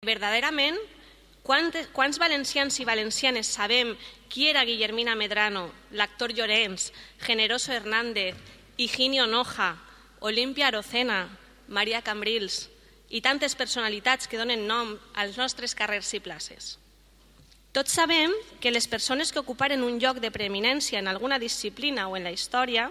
Verdaderament, quants valencians i valencianes sabem qui era Guillermina Medrano, l'actor Llorenç, Generoso Hernández, Higinio Noja, Olimpia Arocena, Maria Cambrils i tantes personalitats que donen nom als nostres carrers i places? Tots sabem que les persones que ocuparen un lloc de preeminència en alguna disciplina o en la història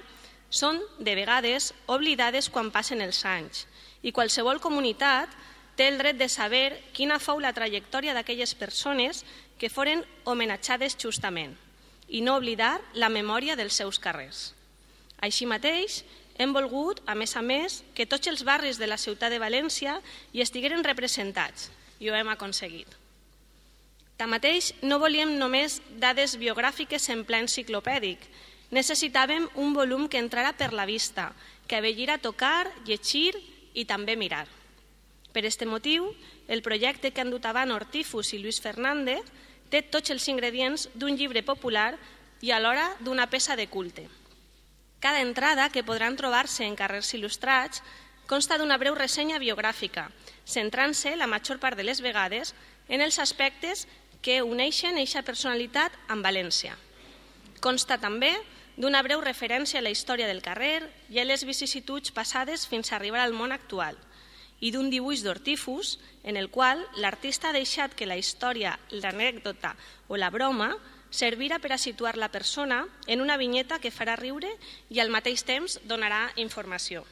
són, de vegades, oblidades quan passen els anys i qualsevol comunitat té el dret de saber quina fou la trajectòria d'aquelles persones que foren homenatjades justament i no oblidar la memòria dels seus carrers. Així mateix, hem volgut, a més, que tots els barris de la ciutat de València hi estigueren representats i ho hem aconseguit. Tanmateix, no volíem només dades biogràfiques en ple enciclopèdic. Necessitàvem un volum que entrara per la vista, que avellira tocar, llegir i també mirar. Per aquest motiu, el projecte que han dut avant Hortífus i Lluís Fernández té tots els ingredients d'un llibre popular i alhora d'una peça de culte. Cada entrada, que podran trobar-se en carrers il·lustrats, consta d'una breu ressenya biogràfica, centrant-se la major part de les vegades en els aspectes que uneixen eixa personalitat amb València. Consta també d'una breu referència a la història del carrer i a les vicissituds passades fins a arribar al món actual, i d'un dibuix d'Hortífus en el qual l'artista ha deixat que la història, l'anècdota o la broma servirà per a situar la persona en una vinyeta que farà riure i al mateix temps donarà informació.